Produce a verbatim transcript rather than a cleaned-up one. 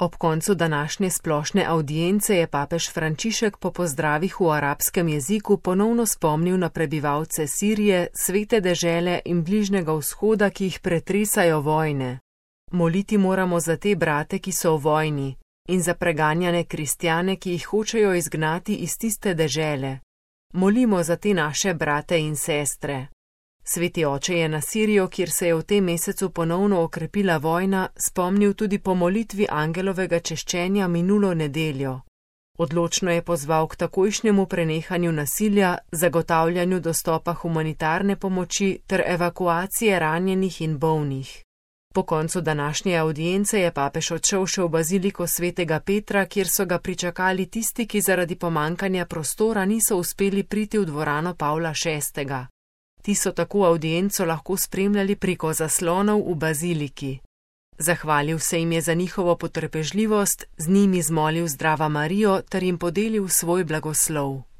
Ob koncu današnje splošne avdience je papež Frančišek po pozdravih v arabskem jeziku ponovno spomnil na prebivalce Sirije, Svete dežele in Bližnjega vzhoda, ki jih pretresajo vojne. Moliti moramo za te brate, ki so v vojni, in za preganjane kristjane, ki jih hočejo izgnati iz tiste dežele. Molimo za te naše brate in sestre. Sveti oče je na Sirijo, kjer se je v tem mesecu ponovno okrepila vojna, spomnil tudi po molitvi angelovega češčenja minulo nedeljo. Odločno je pozval k takojšnjemu prenehanju nasilja, zagotavljanju dostopa humanitarne pomoči ter evakuacije ranjenih in bolnih. Po koncu današnje avdience je papež odšel še v baziliko svetega Petra, kjer so ga pričakali tisti, ki zaradi pomankanja prostora niso uspeli priti v dvorano Pavla šestega. Ti so tako avdienco lahko spremljali preko zaslonov v baziliki. Zahvalil se jim je za njihovo potrpežljivost, z njimi zmolil Zdrava Marijo ter jim podelil svoj blagoslov.